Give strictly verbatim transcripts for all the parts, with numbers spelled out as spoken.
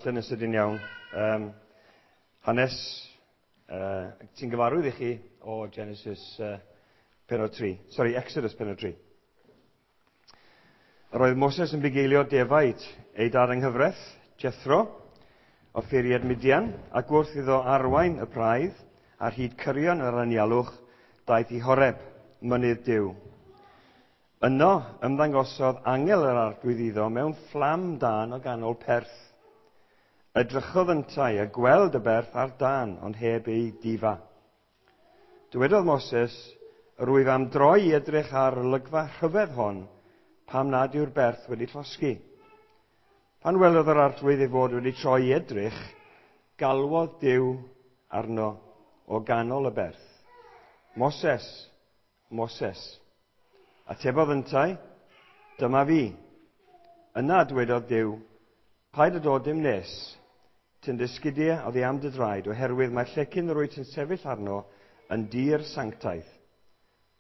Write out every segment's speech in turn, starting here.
Yn sydyn iawn. Um, hanes uh, sy'n gyfarwydd i chi o Genesis uh, pennod tri. Sorry, Exodus pennod tri. Yr oedd Moses yn bugeilio defaid ei dad yng nghyfraith, Jethro, offeiriad Midian, ac wrth iddo arwain y praidd ar hyd cyrion yr anialwch, daeth i Horeb, mynydd Duw. Yno ymddangosodd angel yr Arglwydd iddo mewn fflam dân o ganol perth. Edrychodd yntau a gweld y berth ar dân, ond heb ei difa. Dywedodd Moses, "Yr wyf am droi i edrych ar y olygfa rhyfedd hon, pam nad yw'r berth wedi llosgi." Pan welodd yr Arglwydd ei fod wedi troi i edrych, galwodd Duw arno o ganol y berth. "Moses, Moses." Atebodd yntau, "Dyma fi." Yna dwedodd Duw, "Paid â dod dim nes. Tyn dy sgidiau oddi am dy draed, oherwydd mae'r llecyn yr wyt yn sefyll arno yn dir sanctaidd."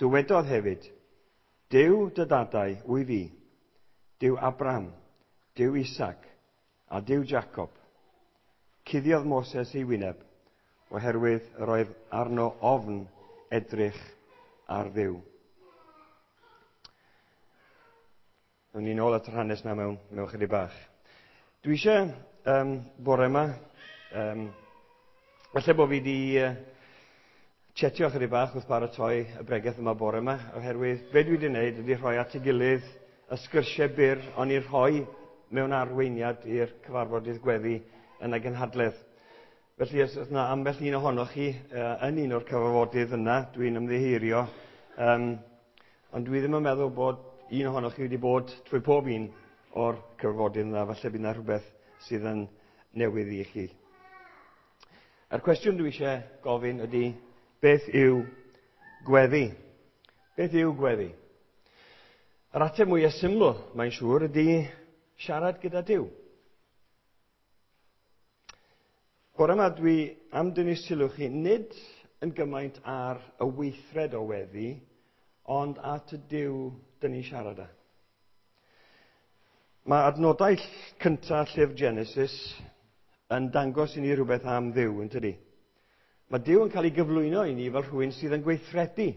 Dywedodd hefyd, "Duw dy dadau wyf fi, Duw Abraham, Duw Isaac a Duw Jacob." Cuddiodd Moses ei wyneb, oherwydd yr oedd arno ofn edrych ar Dduw. Nawn ni nôl at yr hanes yna mewn, mewn chydig bach. Dwi eisiau um, bore yma, um, falle bod fi wedi uh, chetio chydig bach wrth baratoi y bregeth yma bore yma, oherwydd be dwi wedi wneud ydy rhoi at ei gilydd y sgyrsiau byr o'n i'n rhoi mewn arweiniad i'r cyfarfodydd gweddi yn y gynhadledd. Felly os oes yna ambell un ohonoch chi uh, yn un o'r cyfarfodydd yna, dwi'n ymddiheurio, um, ond dwi ddim yn meddwl bod un ohonoch chi wedi bod trwy pob un o'r cyfarfodydd yna, falle bydd yna rhywbeth sydd yn newydd i chi. A'r cwestiwn dwi eisiau gofyn ydy, beth yw gweddi? Beth yw gweddi? Yr ateb mwyaf syml, mae'n siŵr, ydy siarad gyda Duw. Bore yma dwi am dynnu sylw chi nid yn gymaint ar y weithred o weddi, ond at y Duw dyn ni'n siarad â. Mae adnodau cyntaf llyfr Genesis yn dangos i ni rhywbeth am Dduw, yn tydi? Mae Duw yn cael ei gyflwyno i ni fel rhywun sydd yn gweithredu.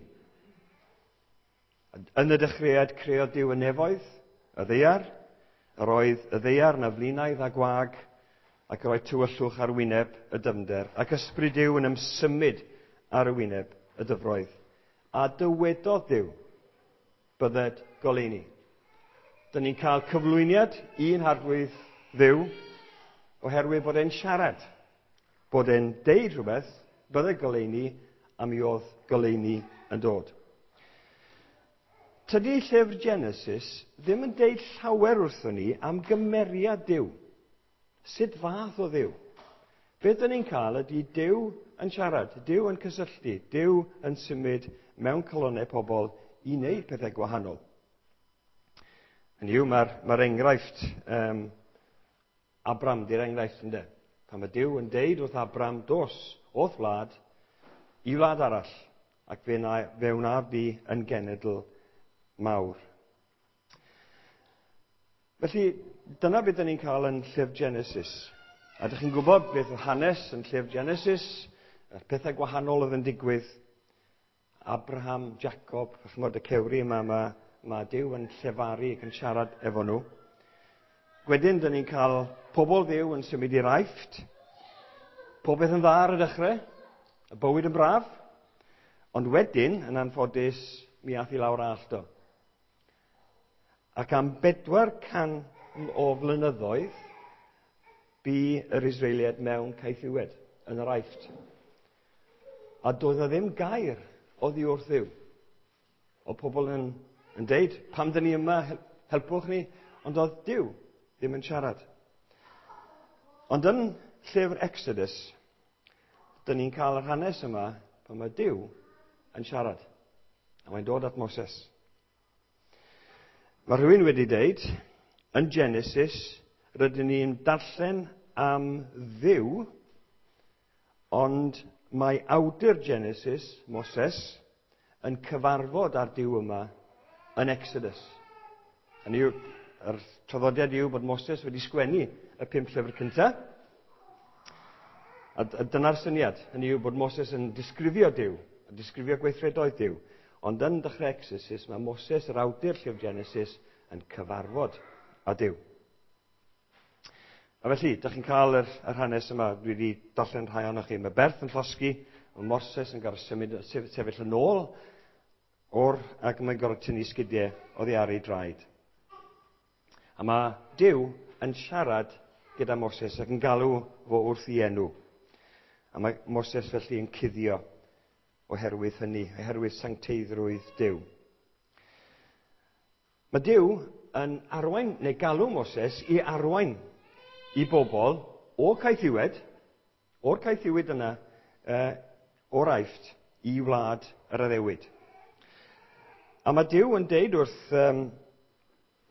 Yn y dechreuad creodd Duw y nefoedd, y ddaear, yr oedd y ddaear na flinaidd a gwag, ac yr oedd tywyllwch ar wyneb y dyfnder, ac ysbryd Duw yn ymsymud ar y wyneb y dyfroedd. A dywedodd Duw, "Bydded goleuni." Dyn ni'n cael cyflwyniad i'n Harglwydd Dduw oherwydd bod e'n siarad, bod e'n deud rhywbeth, "Bydded goleuni," a mi oedd goleuni yn dod. Tydi llyfr Genesis ddim yn deud llawer wrthon ni am gymeriad Duw. Sut fath o Dduw? Beth dyn ni'n cael ydy Duw yn siarad, Duw yn cysylltu, Duw yn symud mewn calonnau pobl i wneud pethau gwahanol. Hynny yw, mae'r mae'r enghraifft, um, Abram di'r enghraifft, ynde? Pan mae Duw yn deud wrth Abram, "Dos o'th wlad i wlad arall, ac fe, na, fe wnaf di yn genedl mawr." Felly, dyna beth dyn ni'n cael yn llyfr Genesis. A dych chi'n gwybod beth oedd hanes yn llyfr Genesis, y pethau gwahanol oedd yn digwydd. Abraham, Jacob, ch'mod y cewri yma, mae, mae Duw yn llefaru ac yn siarad efo nhw. Wedyn, dyn ni'n cael pobl Dduw yn symud i'r Aifft. Popeth yn dda ar y dechrau, y bywyd yn braf. Ond wedyn, yn anffodus, mi ath i lawr allt o. Ac am bedwar can o flynyddoedd, bu yr Israeliaid mewn caethiwed yn yr Aifft. A doedd 'na ddim gair oddi wrth Dduw. O pobl yn, yn deud, "Pam dyn ni yma, helpwch ni?" Ond oedd Duw ddim yn siarad. Ond yn llyfr Exodus, dyn ni'n cael yr hanes yma pan mae Duw yn siarad. A mae'n dod at Moses. Mae rhywun wedi deud, yn Genesis, rydyn ni'n darllen am Dduw, ond mae awdur Genesis, Moses, yn cyfarfod â'r Duw yma yn Exodus. Hynny yw, yr traddodiad yw bod Moses wedi sgwennu y pum llyfr cyntaf, A dyna'r syniad, hynny yw bod Moses yn disgrifio Duw, a disgrifio gweithredoedd Duw. Ond yn dechrau Exodus, mae Moses, yr awdur llyfr Genesis, yn cyfarfod â Duw. A felly, dych chi'n cael yr, yr hanes yma, dwi wedi darllen rhai ohonoch chi. Mae berth yn llosgi, mae Moses yn gorfod symud, sefyll yn ôl o'r, ac mae'n gorfod tynnu sgidiau oddi ar ei draed. A mae Duw yn siarad gyda Moses ac yn galw fo wrth ei enw. A mae Moses felly yn cuddio oherwydd hynny, oherwydd sancteiddrwydd Duw. Mae Duw yn arwain, neu galw Moses i arwain i bobl o caethiwed, o'r caethiwed yna, uh, o'r Aifft, i wlad yr addewid. A mae Duw yn deud wrth um,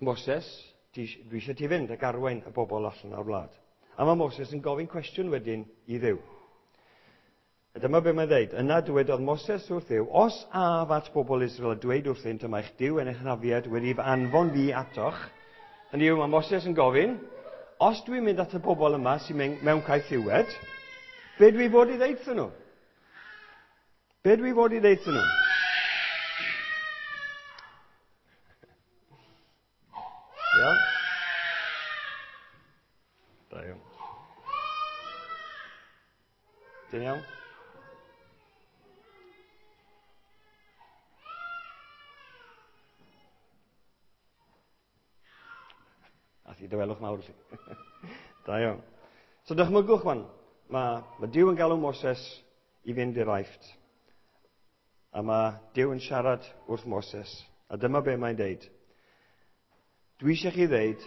Moses, dwi eisiau ti fynd ac arwain y bobl allan o'r wlad. A mae Moses yn gofyn cwestiwn wedyn i Dduw. A dyma be mae'n dweud. Yna dywedodd Moses wrth Dduw, os af at bobl Israel a dweud wrthynt y mae'ch Duw yn eich hynafiaid wedi fy anfon fi atoch. Hynny yw, mae Moses yn gofyn, os dwi'n mynd at y bobl yma sy'n mewn caethiwed, be dwi fod i ddeud nhw? Be dwi fod i ddeud nhw? Iawn? Da iawn. Dyn iawn? Ath i dawelwch mawr i chi. Da iawn. So dychmygwch wan, mae, mae Duw yn galw Moses i fynd i'r Aifft. A mae Duw yn siarad wrth Moses. A dyma be mae'n deud. Dwi eisiau chi ddeud,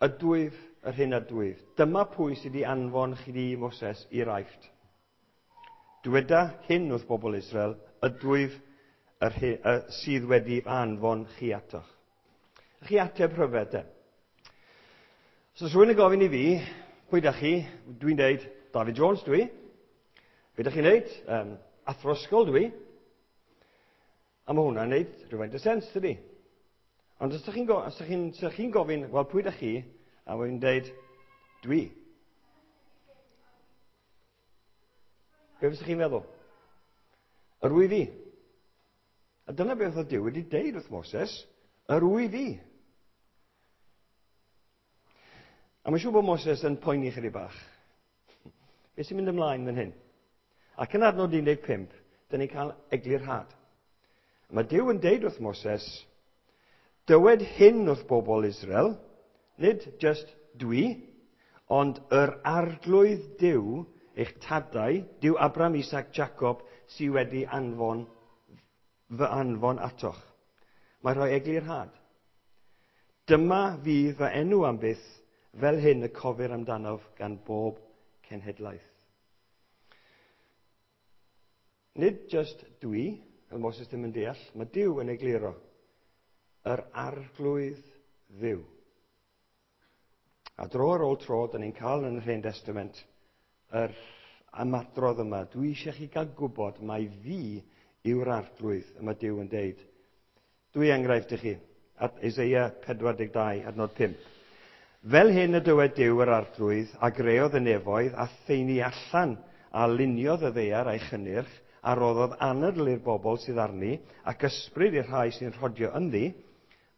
ydwyf yr hyn ydwyf. Dyma pwy sydd wedi anfon chi di Moses i'r Aifft. Dyweda hyn wrth bobl Israel, ydwyf yr hyn, y, sydd wedi anfon chi atoch. Chi ateb rhyfedd de. So, os rhywun yn gofyn i fi, pwy da chi? Dwi'n deud, David Jones dwi. Be da chi'n neud? Um, athro ysgol dwi. A mae hwnna'n neud rhywfaint o sens, dydi? Ond os ydych chi'n go, chi chi gofyn, wel, pwy da chi? A wy'n deud, dwi. Be fysa chi'n meddwl? Yr wyf fi. A dyna beth oedd Duw wedi deud wrth Moses, yr wyf fi. A mae'n siŵr bod Moses yn poeni chydig bach. Be sy'n mynd ymlaen fan hyn? Ac yn adnod un deg pump, dyn ni'n cael eglurhad. Mae Duw yn deud wrth Moses, dywed hyn wrth bobl Israel, nid just dwi, ond yr arglwydd Duw, eich tadau, Duw Abraham, Isaac, Jacob, sydd wedi anfon, fy anfon atoch. Mae rhoi eglurhad. Dyma fydd fy enw am byth, fel hyn y cofir amdanof gan bob cenhedlaeth. Nid just dwi, fel Moses ddim yn deall, mae Duw yn egluro. Yr arglwydd Dduw. A dro ar ôl tro, dyn ni'n cael yn yr Hen Testament yr ymadrodd yma. Dwi eisiau chi gael gwybod mai fi yw'r arglwydd, y mae Duw yn deud. Dwy enghraifft i chi, at Isaiah pedwar deg dau, adnod pump. Fel hyn y dywed Duw yr arglwydd, a greodd y nefoedd, a theini allan, a luniodd y ddaear a'i chynnyrch, a roddodd anadl i'r bobl sydd arni, ac ysbryd i'r rhai sy'n rhodio ynddi,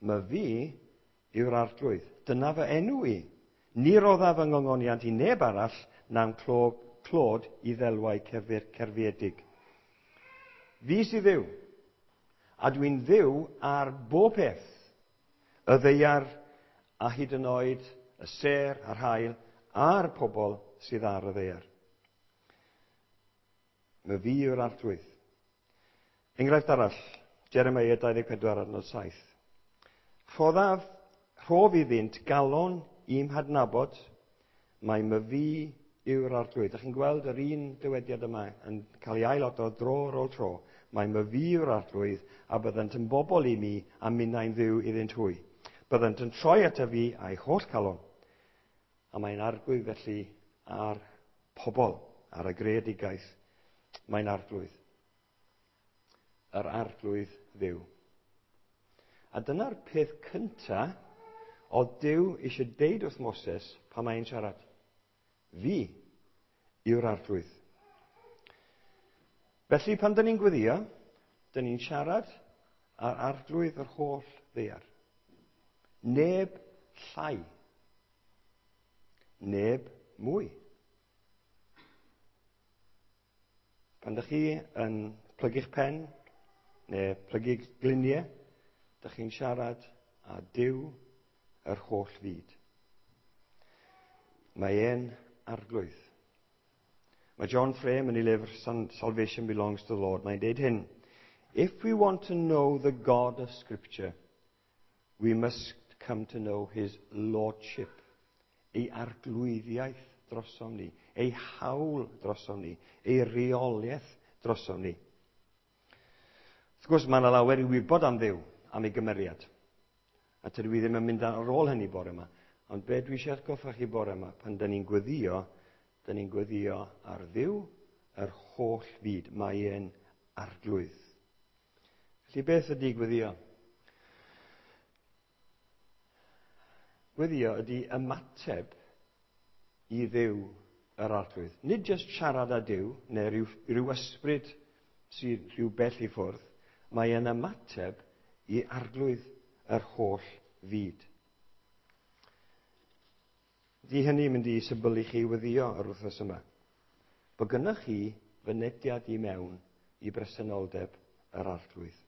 mae fi yw'r arglwydd. Dyna fy enw i. Ni roddaf fy ngongoniant i neb arall na'n clod i ddelwau cerfir cerfiedig. Fi sydd Dduw, a dwi'n Dduw ar bob peth, y ddaear a hyd yn oed y sêr a'r haul a'r pobl sydd ar y ddaear. Mae fi yw'r arglwydd. Enghraifft arall, Jeremiah dau ddeg pedwar adnod saith. Rhoddaf, rhof iddynt galon i'm hadnabod, mae my fi yw'r arglwydd. Dach chi'n gweld yr un dywediad yma yn cael ei ailadrodd dro ar ôl tro. Mae my fi yw'r arglwydd, a byddant yn bobl i mi, a minnau'n Dduw iddynt hwy. Byddant yn troi ata fi a'i holl calon. A mae'n arglwydd felly ar pobl, ar y greadigaeth. Mae'n arglwydd. Yr arglwydd Dduw. A dyna'r peth cynta oedd Duw eisiau deud wrth Moses pan mae'n siarad. Fi yw'r Arglwydd. Felly, pan dyn ni'n gweddio, dyn ni'n siarad â'r Arglwydd yr holl ddaear. Neb llai. Neb mwy. Pan dych chi yn plygu'ch pen, neu plygu gliniau, dych chi'n siarad â Duw yr holl fyd. Mae e'n Arglwydd. Mae John Frame yn ei lyfr Salvation Belongs to the Lord, mae'n deud hyn: "If we want to know the God of Scripture, we must come to know his lordship," ei arglwyddiaeth drosom ni, ei hawl drosom ni, ei reoliaeth drosom ni. Wrth gwrs, mae yna lawer i wybod am Dduw, am ei gymeriad. A tydw i ddim yn mynd ar ôl hynny bore yma. Ond be dwi eisiau atgoffa chi bore yma, pan dyn ni'n gweddio, dyn ni'n gweddio ar Dduw yr holl fyd. Mae e'n Arglwydd. Felly beth ydy gweddio? Gweddio ydy ymateb i Dduw yr Arglwydd. Nid jyst siarad â Duw, neu rhyw, rhyw ysbryd sydd rhyw bell i ffwrdd. Mae e'n ymateb i Arglwydd yr holl fyd. Di hynny mynd i symbylu chi weddio yr wythnos yma. Bod gynnwch chi fynediad i mewn i bresenoldeb yr Arglwydd.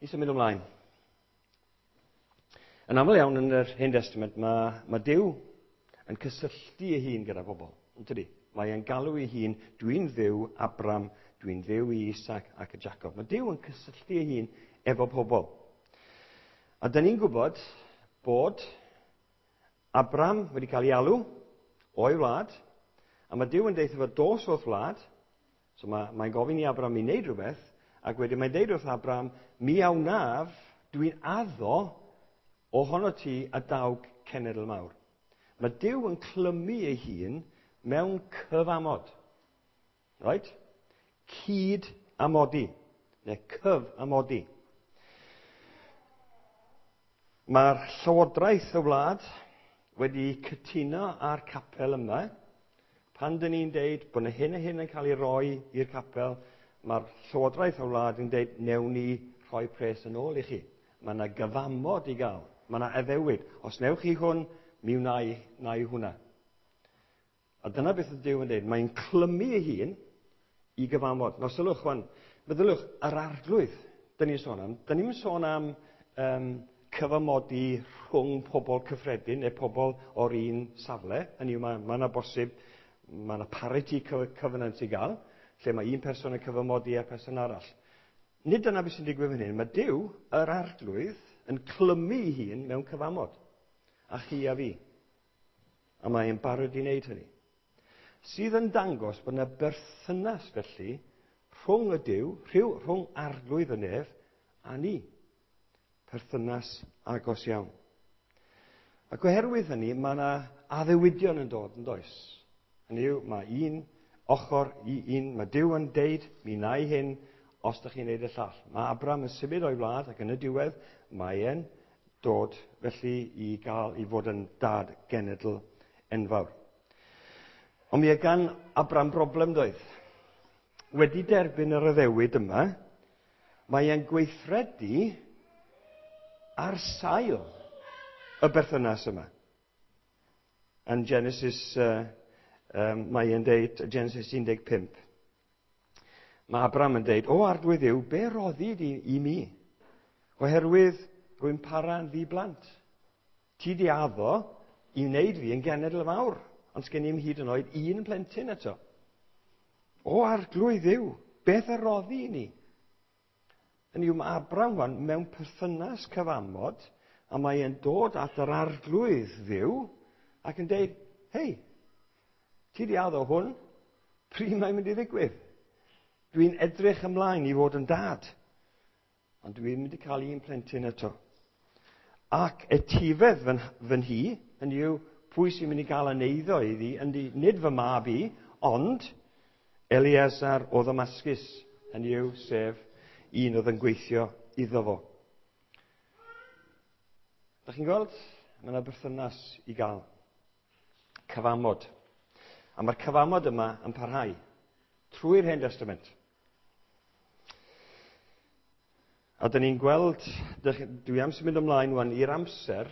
I symud ymlaen. Yn aml iawn yn yr Hen Testament, mae, mae Duw yn cysylltu ei hun gyda bobl. Yn tydi? Mae e'n galw ei hun, dwi'n Dduw Abram, dwi'n Dduw i Isaac ac y Jacob. Mae Duw yn cysylltu ei hun efo pobl. A dyn ni'n gwybod bod Abram wedi cael ei alw o'i wlad, a mae Duw yn deud wrtho fo, dos o'th wlad. So mae, mae'n gofyn i Abram i wneud rhywbeth, ac wedyn mae'n deud wrth Abram, mi a wnaf, dwi'n addo ohono ti a daw cenedl mawr. Mae Duw yn clymu ei hun mewn cyfamod. Right? Cyd amodi, neu cyfamodi. Mae'r llywodraeth y wlad wedi cytuno â'r capel yma. Pan dyn ni'n deud bod yna hyn a hyn yn cael ei roi i'r capel, mae'r llywodraeth y wlad yn deud, newn ni rhoi pres yn ôl i chi. Mae yna gyfamod i gael. Mae yna addewid. Os newch chi hwn, mi wna i, wna i hwnna. A dyna beth ydy Duw yn deud. Mae'n clymu ei hun i gyfamod. Nawr sylwch, wan, meddyliwch, yr Arglwydd, dyn ni'n sôn am. Dyn ni'n sôn am um, cyfamodi rhwng pobl cyffredin neu pobl o'r un safle. Hynny yw, mae, mae yna bosib, mae yna parity covenant i gael, lle mae un person yn cyfamodi â person arall. Nid dyna beth sy'n digwydd fan hyn. Mae Duw, yr Arglwydd, yn clymu ei hun mewn cyfamod. A chi a fi. A mae'n barod i wneud hynny. Sydd yn dangos bod yna berthynas felly rhwng y Duw, rhyw, rhwng Arglwydd y nef a ni. Perthynas agos iawn. Ac oherwydd hynny, mae yna addewidion yn dod, yn does? Hynny yw, mae un ochr i un, mae Duw yn deud, mi wna i hyn, os ydych chi'n neud y llall. Mae Abram yn symud o'i wlad ac yn y diwedd, mae e'n dod felly i gael i fod yn dad genedl enfawr. Ond mi oedd gan Abram broblem doedd. Wedi derbyn yr addewid yma, mae e'n gweithredu ar sail y berthynas yma. Yn Genesis, uh, um, mae e'n deud, Genesis un deg pump, mae Abram yn deud, o Arglwydd Dduw, be roddi di i mi? Oherwydd rwy'n para'n ddi-blant. Ti di addo i wneud fi yn genedl fawr, ond sgen i'm hyd yn oed un plentyn eto. O Arglwydd Dduw, beth a roddi i ni? Hynny yw, mae Abram wan mewn perthynas cyfamod, a mae e'n dod at yr Arglwydd Dduw ac yn deud, hei, ti di addo hwn, pryd mae'n mynd i ddigwydd? Dwi'n edrych ymlaen i fod yn dad, ond dwi'n mynd i cael un plentyn eto. Ac etifedd fy, fy nhi, hynny yw, pwy sy'n mynd i gael yn eiddo iddi, yndi, nid fy mab i, ond Eleazar o Ddamascus, hynny yw, sef un oedd yn gweithio iddo fo. Dach chi'n gweld? Mae yna berthynas i gael. Cyfamod. A mae'r cyfamod yma yn parhau trwy'r Hen Testament. A dyn ni'n gweld, dwi am symud ymlaen wan i'r amser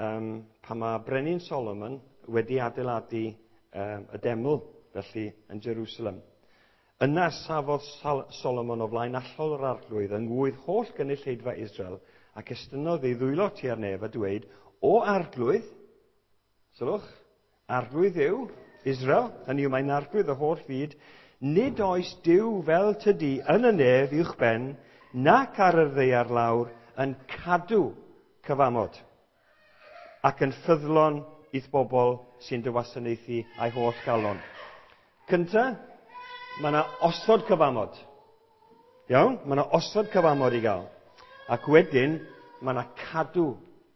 um, pan mae Brenin Solomon wedi adeiladu um, y deml, felly, yn Jerusalem. Yna safodd Solomon o flaen allol yr arglwydd yng ngwydd holl gynulleidfa Israel ac estynnodd ei ddwylo tua'r nef a dweud, o arglwydd, sylwch, arglwydd yw Israel, hynny yw mae'n arglwydd y holl fyd, nid oes Duw fel tydi yn y nef uwchben, nac ar y ddaear lawr yn cadw cyfamod ac yn ffyddlon i'th bobl sy'n dy wasanaethu a'i holl galon. Cynta, mae yna osod cyfamod. Iawn? Mae yna osod cyfamod i gael. Ac wedyn, mae yna cadw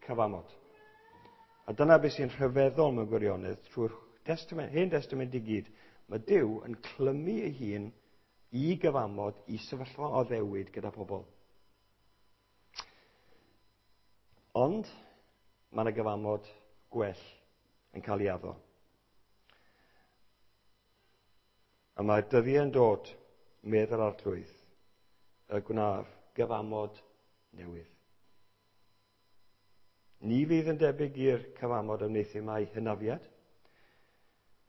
cyfamod. A dyna beth sy'n rhyfeddol mewn gwirionedd trwy'r testament, Hen Testament i gyd. Mae Duw yn clymu ei hun i gyfamod, i sefyllfa o addewid gyda pobl. Ond mae yna gyfamod gwell yn cael ei addo. A mae'r dyddiau'n dod, medd yr arglwydd, y gwnaf gyfamod newydd. Ni fydd yn debyg i'r cyfamod a wneuthum â'i hynafiad,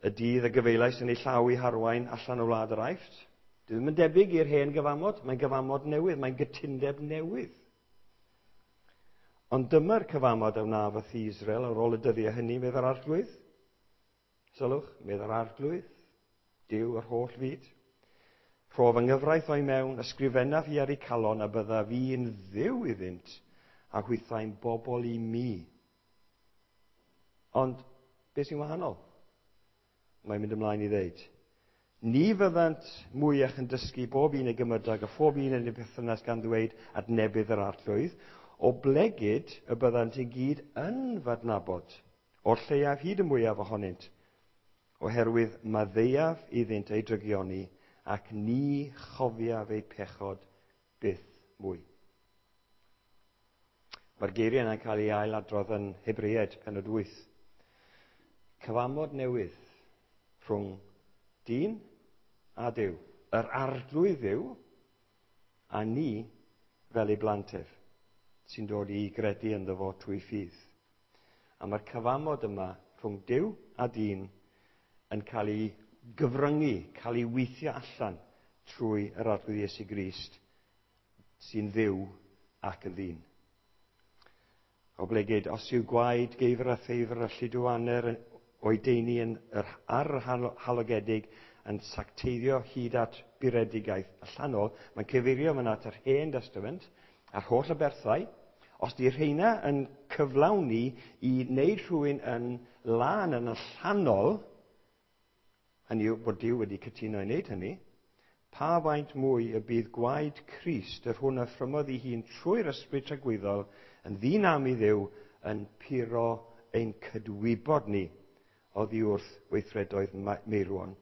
y dydd y gyfeilais yn ei llaw i harwain allan o wlad yr Aifft. Dwi ddim yn debyg i'r hen gyfamod, mae'n gyfamod newydd, mae'n gytundeb newydd. Ond dyma'r cyfamod a wnaf wrth Israel ar ôl y dyddiau hynny, medd yr arglwydd. Sylwch, medd yr arglwydd, Duw yr holl fyd. Rhof yng nghyfraith o'i mewn, ysgrifennaf hi ar eu calon a byddaf fi'n ddiw iddynt, a hwythau'n bobl i mi. Ond, beth sy'n wahanol? Mae'n mynd ymlaen i ddeud, ni fyddant mwyach yn dysgu bob un ei gymydog a phob un yn ei perthynas gan ddweud adnebydd yr arglwydd, o blegid y byddant i gyd yn fadnabod, o'r lleiaf hyd y mwyaf ohonynt, oherwydd maddeuaf iddynt eu drygioni ac ni chofiaf eu pechod byth mwy. Mae'r geiriau yna'n cael ei ailadrodd yn Hebreaid, pennod wyth. Cyfamod newydd rhwng dyn a Duw. Yr arglwydd Dduw a ni fel ei blant ef, sy'n dod i gredu ynddo fo trwy ffydd. A mae'r cyfamod yma rhwng Duw a dyn yn cael ei gyfryngu, cael ei weithio allan trwy yr Arglwydd Iesu Grist, sy'n Dduw ac yn ddyn. Oblegid, os yw gwaed geifr a theifr a lludw-aner o'i deini yn yr, ar yr halogedig yn sacteiddio hyd at buredigaeth allanol, mae'n cyfeirio fan at yr Hen Testament a'r holl aberthau. Os di rheina yn cyflawni i wneud rhywun yn lân yn allanol, hynny yw bod Duw wedi cytuno i wneud hynny, pa faint mwy y bydd gwaed Crist, yr hwn a ffrymodd ei hun trwy'r ysbryd tragwyddol, yn ddinam i Dduw, yn puro ein cydwybod ni oddi wrth weithredoedd meirwon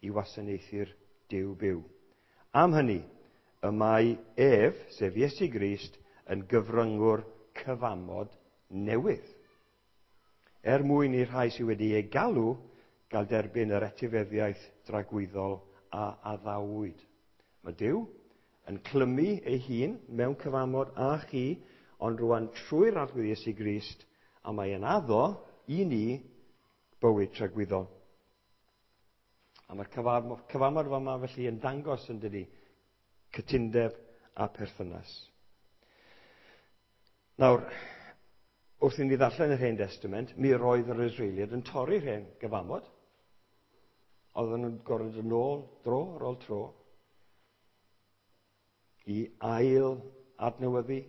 i wasanaethu'r Duw byw. Am hynny, y mae ef, sef Iesu Grist, yn gyfryngwr cyfamod newydd. Er mwyn i'r rhai sydd wedi ei galw gael derbyn yr etifeddiaeth dragwyddol a addawyd. Mae Duw yn clymu ei hun mewn cyfamod â chi, ond rwan trwy'r Arglwydd Iesu Grist, a mae yn addo i ni bywyd tragwyddol. A mae'r cyfamod yma felly yn dangos yn dydi cytundeb a perthynas. Nawr, wrth i ni ddarllen yr Hen Testament, mi roedd yr Israeliaid yn torri'r hen gyfamod. Oedden nhw'n gorfod yn ôl, dro ar ôl tro, i ail adnewyddu.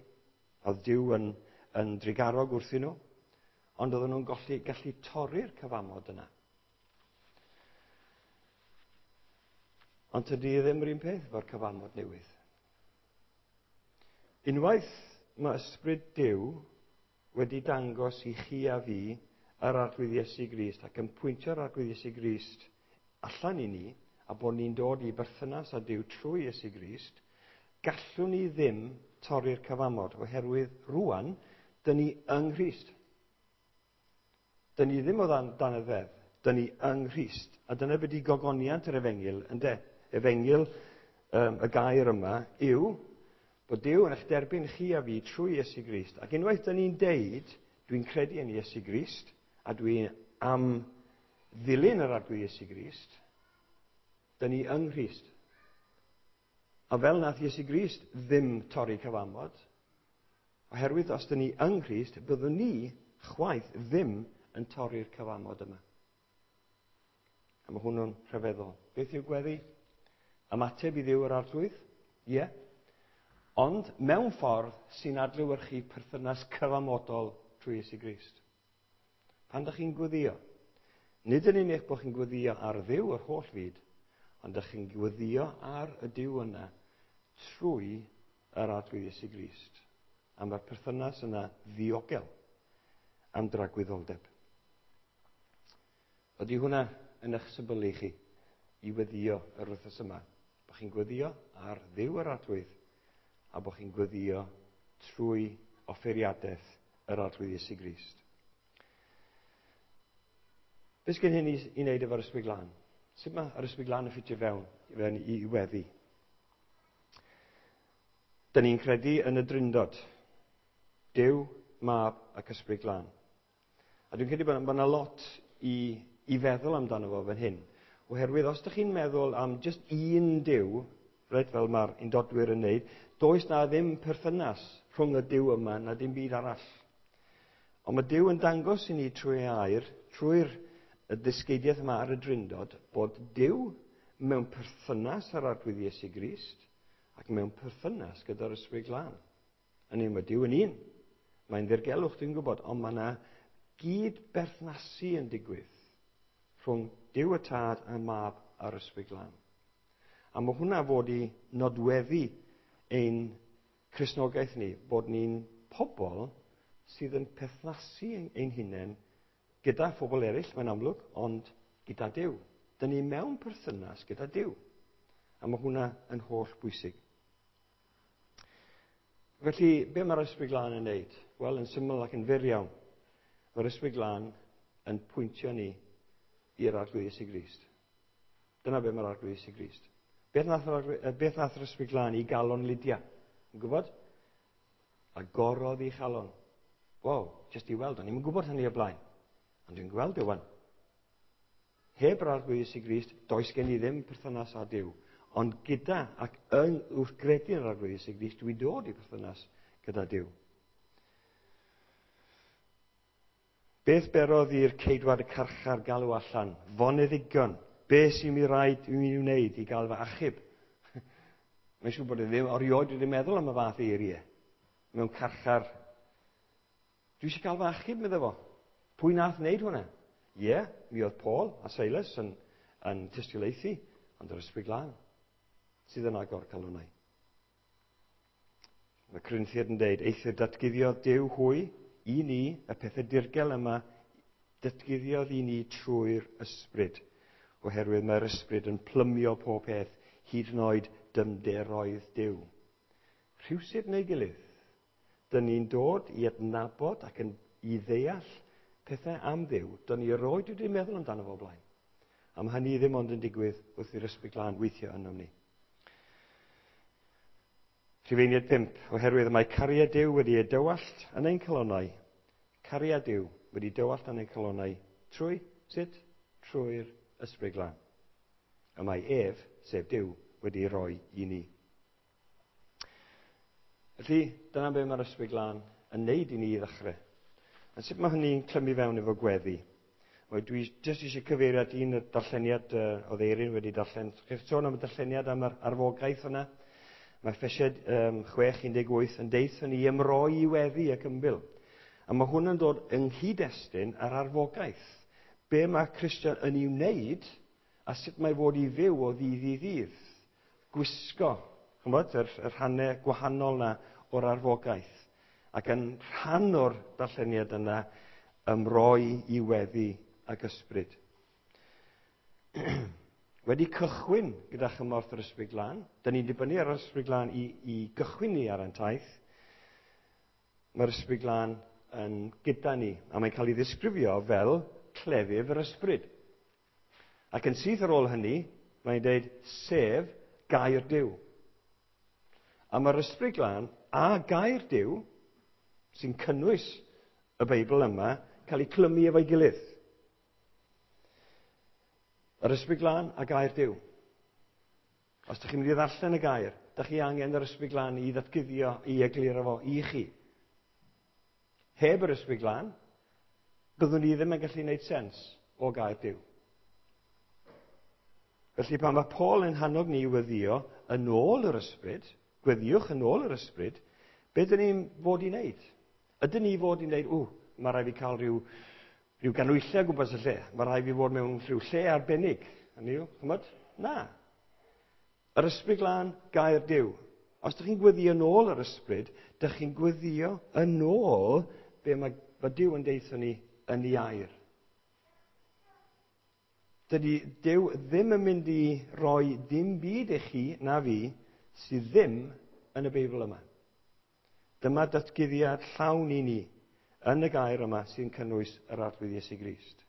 Oedd Duw yn, yn drugarog wrthyn nhw, ond oedden nhw'n golli, gallu torri'r cyfamod yna. Ond tydi ddim yr un peth efo'r cyfamod newydd. Unwaith mae ysbryd Duw wedi dangos i chi a fi yr Arglwydd Iesu Grist ac yn pwyntio'r Arglwydd Iesu Grist allan i ni, a bod ni'n dod i berthynas â Duw trwy Iesu Grist, gallwn ni ddim torri'r cyfamod, oherwydd rwan, dyn ni yng Nghrist. Dyn ni ddim o dan, dan y ddeddf. Dyn ni yng Nghrist. A dyna beth i gogoniant yr efengyl, ynde? Efengyl, um, y gair yma, yw bod Duw yn eich derbyn chi a fi trwy Iesu Grist. Ac unwaith dyn ni'n deud, dwi'n credu yn Iesu Grist, a dwi am ddilyn yr Arglwydd Iesu Grist, dyn ni yng Nghrist. A fel nath Iesu Grist ddim torri cyfamod, oherwydd os dyn ni yng Nghrist, byddwn ni chwaith ddim yn torri'r cyfamod yma. A mae hwnnw'n rhyfeddol. Beth yw gweddi? Ymateb i Dduw yr Arglwydd? Ie. Yeah. Ond mewn ffordd sy'n adlewyrchu perthynas cyfamodol trwy Iesu Grist. Pan ydych chi'n gweddio, nid yn unig bod chi'n gweddio ar Dduw yr holl fyd, ond ydych chi'n gweddio ar y Duw yna trwy yr Arglwydd Iesu Grist. A mae'r perthynas yna ddiogel am dragwyddoldeb. Ydy hwnna yn eich syblylu chi i weddio yr wythnos yma? Bod chi'n gweddio ar Dduw yr Arglwydd a bod chi'n gweddio trwy offeiriadaeth yr Arglwydd Iesu Grist. Beth sgen hyn i, i wneud efo'r Ysbryd Glân? Sut mae yr Ysbryd Glân yn ffitio fewn, fewn i, i weddi? Dyn ni'n credu yn y Drindod. Duw, Mab ac Ysbryd Glân. A dwi'n credu bod yna lot i, i feddwl amdano fo fan hyn. Oherwydd os ydych chi'n meddwl am just un Duw, reit, fel mae'r undodwyr yn neud, does na ddim perthynas rhwng y Duw yma na dim byd arall. Ond mae Duw yn dangos i ni trwy air, trwy'r ddysgeidiaeth yma ar y Drindod, bod Duw mewn perthynas â'r Arglwydd Iesu Grist ac mewn perthynas gyda'r Ysbryd Glân. Hynny yw, mae Duw yn un. Mae'n ddirgelwch, dwi'n gwybod, ond mae yna gyd berthnasu yn digwydd rhwng Duw y Tad a'r Mab a'r Ysbryd Glân. A mae hwnna fod i nodweddu ein Cristnogaeth ni, bod ni'n pobl sydd yn perthnasu ein hunain gyda phobl eraill, mae'n amlwg, ond gyda Duw. Dyn ni mewn perthynas gyda Duw. A mae hwnna yn holl bwysig. Felly, be mae'r Ysbryd Glân yn neud? Wel, yn syml ac yn fyr iawn. Mae'r Ysbryd Glân yn pwyntio ni i'r Arglwydd Iesu Grist. Dyna be mae'r Arglwydd Iesu Grist. Beth nath yr, beth nath yr Ysbryd Glân i galon Lydia? Yn gwybod? Agorodd ei chalon. Wow, jyst i weld, o'n i'm yn gwybod hynny o blaen. Ond dwi'n gweld e wan. Heb yr Arglwydd Iesu Grist, does gen i ddim perthynas â Duw. Ond gyda ac yn wrth gredu yn yr Arglwydd Iesu Grist, dwi'n dod i perthynas gyda Duw. Beth berodd i'r ceidwad y carchar galw allan? Foneddigion. Be sy'n mi raid i mi wneud i gael fy achub? Mae'n siŵr bod e ddim erioed wedi meddwl am y fath eiriau mewn carchar. Dwi eisiau cael fy achub, meddwl fo. Pwy nath wneud hwnna? Ie, yeah, mi oedd Paul a Silas yn, yn tystiolaethu, ond yr Ysbryd Glân sydd yn agor calonnau. Mae Corinthiaid yn deud, eithr datguddiodd Duw hwy i ni, y pethau dirgel yma, datguddiodd i ni trwy'r Ysbryd, oherwydd mae'r Ysbryd yn plymio pob peth, hyd yn oed dymderoedd Duw. Rhywsut neu gilydd, dyn ni'n dod i adnabod ac yn, i ddeall pethau am Dduw, dyn ni erioed wedi meddwl amdano fo blaen. A mae hynny ddim ond yn digwydd wrth i'r Ysbryd Glân weithio ynom ni. Rhufeiniaid pump, oherwydd mae cariad Duw wedi ei dywallt yn ein calonnau. Cariad Duw wedi dywallt yn ein calonnau trwy, sut? Trwy'r Ysbryd Glân. Y mae ef, sef Duw, wedi roi i ni. Felly, dyna be mae'r Ysbryd Glân yn neud i ni i ddechrau. A sut mae hynny'n clymu fewn efo gweddi? Wel, dwi jyst eisiau cyfeirio at un darlleniad uh, oedd Eirin wedi darllen. Chi'n sôn am y darlleniad am yr arfogaeth yna? Mae Effesiaid um, chwech un deg wyth yn deutha ni ymroi i weddi ac ymbil. A mae hwn yn dod yng nghyd-destun ar arfogaeth. Be mae Cristion yn ei wneud a sut mae fod i fyw o ddydd i ddydd. Gwisgo, ch'mod, yr, yr rhannau gwahanol na o'r arfogaeth. Ac yn rhan o'r darlleniad yna, ymroi i weddi ac ysbryd. Wedi cychwyn gyda chymorth yr Ysbryd Glân, dyn ni'n dibynnu ar yr Ysbryd Glân i, i gychwyn ni ar ein taith. Mae'r Ysbryd Glân yn gyda ni, a mae'n cael ei ddisgrifio fel clefydd yr ysbryd. Ac yn syth ar ôl hynny, mae'n dweud, sef gair Duw. A mae'r Ysbryd Glân a gair Duw, sy'n cynnwys y Beibl yma, cael ei clymu efo'i gilydd. Yr Ysbryd Glân a gair Duw. Os ydych chi'n mynd i ddarllen y gair, ydych chi angen yr Ysbryd Glân i ddatguddio, i egluro fo i chi. Heb yr Ysbryd Glân, byddwn ni ddim yn gallu gwneud sens o gair Duw. Felly pan mae Paul yn hannog ni i weddio yn ôl yr Ysbryd, gweddiwch yn ôl yr Ysbryd, be dyn ni'n fod i wneud? Ydyn ni fod i wneud, ww, mae rhaid fi cael rhyw, rhyw ganwyllau o gwmpas y lle. Mae rhaid fi fod mewn rhyw lle arbennig. Hynny yw, chymod? Na. Yr Ysbryd Glân, gair Duw. Os ydych chi'n gweddio yn ôl yr Ysbryd, ydych chi'n gweddio yn ôl be mae, mae Duw yn deutha ni yn ei air. Dydy Duw ddim yn mynd i roi dim byd i chi na fi sydd ddim yn y Beibl yma. Dyma datguddiad llawn i ni yn y gair yma sy'n cynnwys yr Arglwydd Iesu Grist.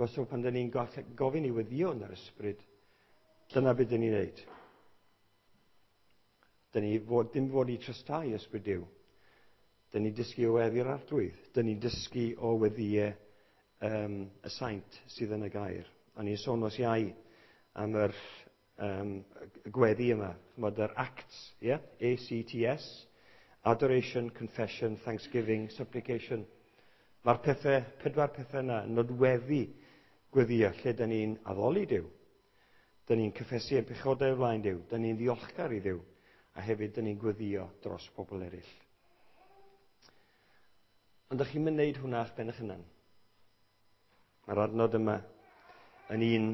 So pan dyn ni'n gofyn i weddio yn yr Ysbryd, dyna beth dyn ni'n neud. Dyn ni fod, dim fod i trystau Ysbryd Duw. Dyn ni'n dysgu o weddi'r Arglwydd. Dyn ni'n dysgu o weddiau um, y saint sydd yn y gair. O'n i'n sôn nos Iau am yr um, gweddi yma, chymod, yr ACTS, yeah? A C T S, Adoration, Confession, Thanksgiving, Supplication. Mae'r pethau, pedwar pethau yna yn nodweddu gweddio lle dyn ni'n addoli Duw. Dyn ni'n cyffesu ein pechodau o flaen Duw. Dyn ni'n ddiolchgar i Dduw. A hefyd dyn ni'n gweddio dros pobl eraill. Ond ydych chi'n mynd wneud hwnna eich ben eich hunan. Mae'r adnod yma yn un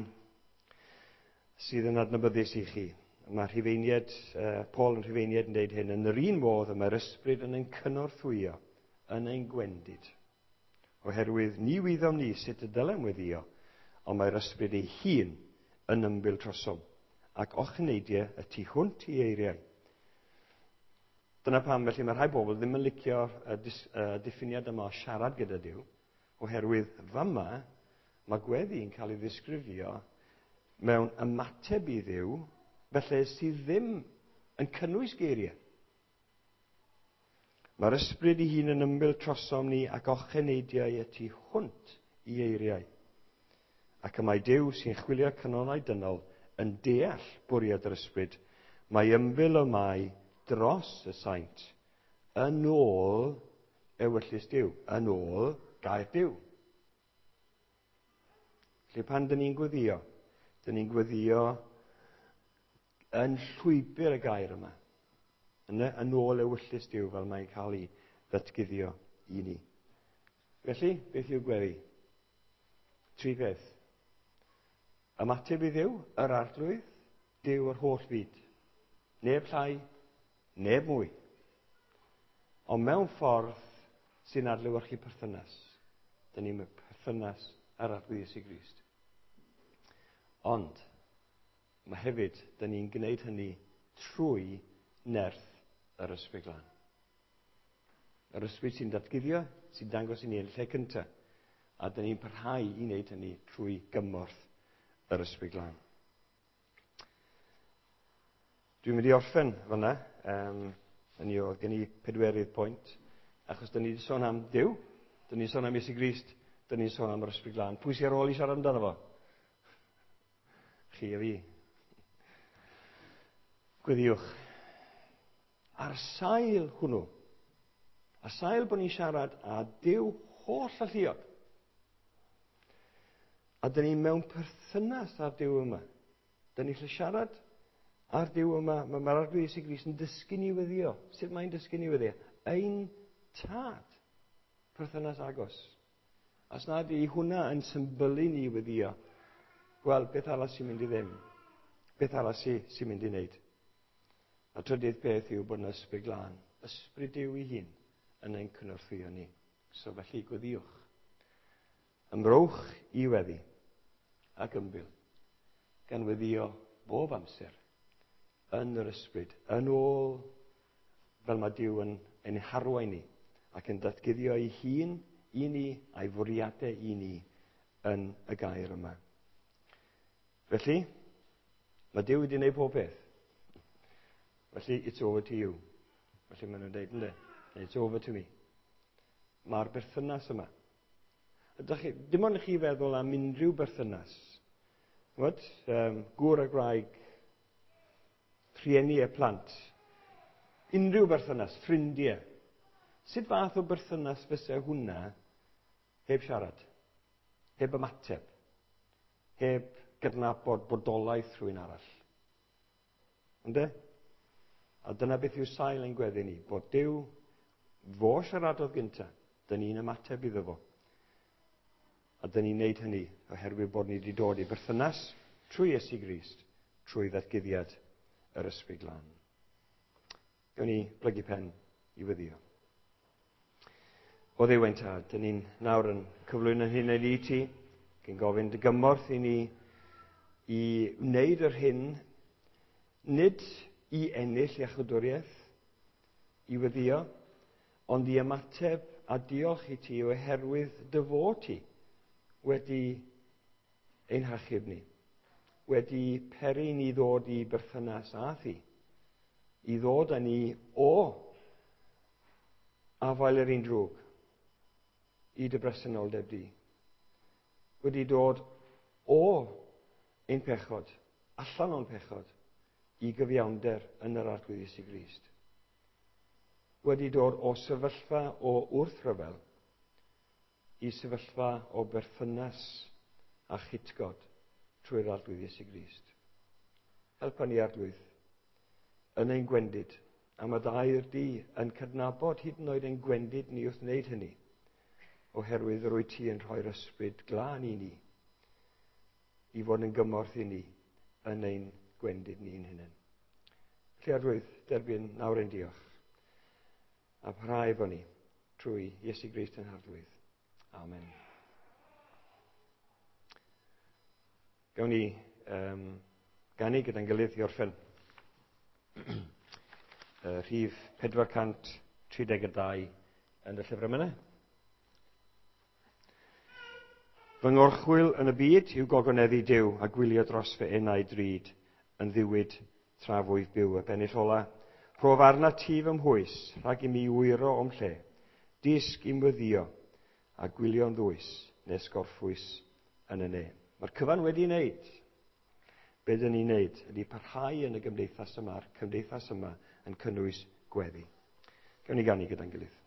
sydd yn adnabyddus i chi. Mae Rhufeiniaid, uh, Paul yn Rhufeiniaid yn dweud hyn, yn yr un modd y mae'r Ysbryd yn ein cynorthwyo, yn ein gwendid. Oherwydd ni wyddom ni sut y dylem weddio, ond mae'r Ysbryd ei hun yn ymbil trosom, ac ochneidiau y tu hwnt i eiriau. Dyna pam felly mae rhai bobl ddim yn licio y uh, diffiniad yma o siarad gyda Duw, oherwydd fama mae gweddi yn cael ei ddisgrifio mewn ymateb i Dduw, felly sydd ddim yn cynnwys geiriau. Mae'r Ysbryd ei hun yn ymbil trosom ni ac ocheneidiau y tu hwnt i eiriau. Ac y mae Duw sy'n chwilio canonau dynol yn deall bwriad yr Ysbryd, mae ymbil y mae dros y saint yn ôl ewyllys Duw, yn ôl gair Duw. Felly pan dyn ni'n gweddio, dyn ni'n gweddio yn llwybr y gair yma, yn, yn ôl ewyllys Duw fel mae'n cael ei ddatguddio i ni. Felly, beth yw gweddi? Tri peth. Ymateb i Dduw, yr Arglwydd, Duw yr holl fyd. Neb llai, neb mwy. Ond mewn ffordd sy'n adlewyrchu perthynas. Dyn ni'n perthynas ar Arglwydd Iesu Grist. Ond, mae hefyd, dyn ni'n gwneud hynny trwy nerth yr Ysbryd Glân. Yr Ysbryd sy'n datguddio, sy'n dangos i ni yn lle cyntaf. A dyn ni'n parhau i wneud hynny trwy gymorth yr Ysbryd Glân. Dwi'n mynd i orffen fyna. Um, hynny oedd gen i pedwerydd pwynt. Achos dyn ni wedi sôn am Duw, dyn ni'n sôn am Iesu Grist, dyn ni'n sôn am yr Ysbryd Glân. Pwy sy'n ar ôl i siarad amdano fo? Chi a fi. Gweddiwch. Ar sail hwnnw, ar sail bod ni'n siarad â Duw holl alluog, a dyn ni mewn perthynas â'r Duw yma. Dyn ni'n lle siarad â'r Duw yma. Mae'r Arglwydd Iesu Grist yn dysgu ni weddio. Sut mae'n dysgu ni weddio? Ein tad. Perthynas agos. Os nad yw hwnna yn symbylu ni weddio, wel, beth arall sy'n mynd i ddim? Beth arall sy'n sy mynd i wneud? A trydydd peth yw bod yna Ysbryd Glân. Ysbryd Duw ei hun yn ein cynorthwyo ni. So felly gweddiwch. Ymrowch i weddi ac ymbil, gan weddio bob amser yn yr Ysbryd, yn ôl fel mae Duw yn ein harwain ni ac yn datguddio ei hun i ni a'i fwriadau i ni yn y gair yma. Felly, mae Duw wedi gwneud pob peth. Felly, it's over to you. Felly maen nhw'n dweud, yndê? It's over to me. Mae'r berthynas yma. Ydych chi, dim ond i chi feddwl am unrhyw berthynas. Ch'mod, um, gŵr a gwraig, rhieni a plant. Unrhyw berthynas, ffrindiau. Sut fath o berthynas fysa hwnna heb siarad? Heb ymateb? Heb gydnabod bodolaeth rhywun arall? Ynde? A dyna beth yw sail ein gweddi ni, bod Duw fo siaradodd gynta, dyn ni'n ymateb iddo fo. A dyn ni'n neud hynny oherwydd bod ni wedi dod i berthynas trwy Iesu Grist, trwy ddatguddiad yr Ysbryd Glân. Gawn ni blygu pen i weddïo. O Dduw ein tad, dyn ni'n nawr yn cyflwyno hyn i ti, cyn gofyn dy gymorth i ni i wneud yr hyn, nid i ennill iachawdwriaeth, i weddïo, ond i ymateb a diolch i ti oherwydd dy fod ti wedi ein hachub ni, wedi peri ni ddod i berthynas â thi, i ddod â ni o afael yr un drwg i dy bresenoldeb di, wedi dod o ein pechod, allan o'n pechod, i gyfiawnder yn yr Arglwydd Iesu Grist. Wedi dod o sefyllfa o wrthryfel i sefyllfa o berthynas a chytgord trwy'r Arglwydd Iesu Grist. Helpa ni, Arglwydd, yn ein gwendid, a mae dy air di yn cydnabod hyd yn oed ein gwendid ni wrth wneud hynny, oherwydd yr wyt ti yn rhoi'r Ysbryd Glân i ni, i fod yn gymorth i ni yn ein gwendid ni'n hunain. Felly, Arglwydd, derbyn nawr ein diolch, a parhau efo ni trwy Iesu Grist ein Harglwydd. Amen. Gawn ni um, ganu gyda'n gilydd i orffen. uh, rhif pedwar cant tri deg dau yn y llyfr emynau. Fy ngorchwyl yn y byd yw gogoneddu Duw a gwylio dros fy enau drud yn ddiwyd tra fwyf byw. Y bennill ola, rhof arna ti fy mhwys, rhag i mi wyro o'm lle, disg i'm weddio a gwylio'n ddwys nes gorffwys yn y ne. Mae'r cyfan wedi wneud. Be dyn ni'n wneud ydy parhau yn y gymdeithas yma, a'r cymdeithas yma yn cynnwys gweddi. Gawn ni ganu gyda'n gilydd.